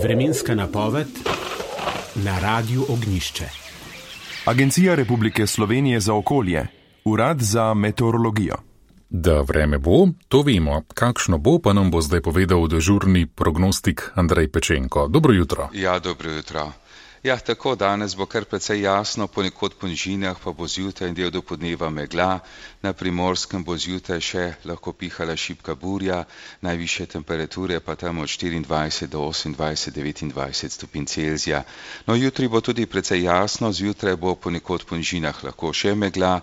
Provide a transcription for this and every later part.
Vremenska napoved na Radiu Ognjišče. Agencija Republike Slovenije za okolje, Urad za meteorologijo. Da vreme bo, to vemo. Kakšno bo, pa nam bo zdaj povedal dežurni prognostik Andrej Pečenko. Dobro jutro. Ja, dobro jutro. Ja, tako danes bo kar precej jasno, ponekod po nižinah pa bo zjutraj in del do podneva megla, na Primorskem bo zjutraj še lahko pihala šibka burja, najvišje temperature pa tam od 24 do 28, 29 stopinj Celzija. No, jutri bo tudi precej jasno, zjutraj bo ponekod po nižinah lahko še megla,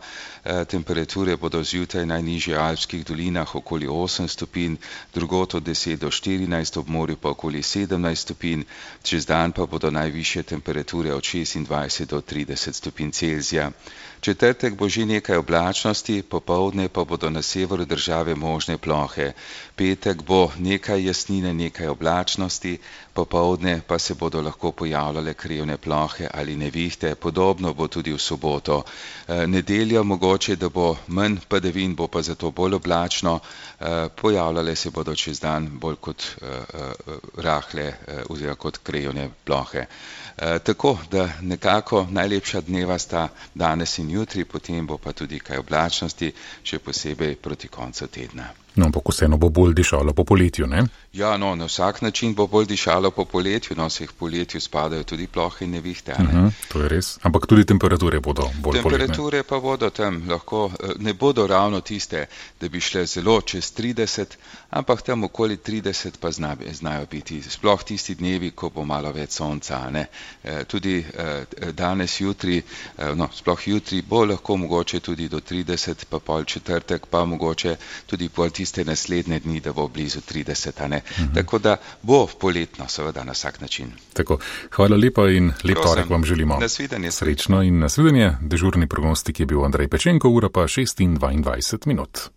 temperature bodo zjutraj najnižje v alpskih dolinah okoli 8 stopinj, drugod od 10 do 14, ob morju pa okoli 17 stopinj, čez dan pa bodo najvišje temperature od 26 do 30 stopinj Celzija. Četrtek bo že nekaj oblačnosti, popoldne pa bodo na severu države možne plohe. Petek bo nekaj jasnine, nekaj oblačnosti, popoldne pa se bodo lahko pojavljale krevne plohe ali nevihte, podobno bo tudi v soboto. Nedeljo mogoče, da bo manj padavin, bo pa zato bolj oblačno, pojavljale se bodo čez dan bolj kot rahle oziroma kot krevne plohe. Tako, da nekako najlepša dneva sta danes in jutri, potem bo pa tudi kaj oblačnosti, še posebej proti koncu tedna. No, ampak vseeno bo bolj dišalo po poletju, ne? Ja, no, na vsak način bo bolj dišalo po poletju, no, vseh poletju spadajo tudi plohe in nevihte, ne? To je res, ampak tudi temperature bodo bolj poletne. Temperature pa bodo tam lahko, ne bodo ravno tiste, da bi šle zelo čez 30, ampak tam okoli 30 pa znajo biti, sploh tisti dnevi, ko bo malo več sonca, ne? Tudi danes, jutri, no, sploh jutri bo lahko mogoče tudi do 30, pa pol četrtek, pa mogoče tudi pol tiste naslednje dni, da bo blizu 30, ne? Tako da bo poletno, seveda, na vsak način. Tako, hvala lepa in lep torek vam želimo. Nasvidenje. Srečno in nasvidenje. Dežurni prognostik je bil Andrej Pečenko, ura pa 6:22.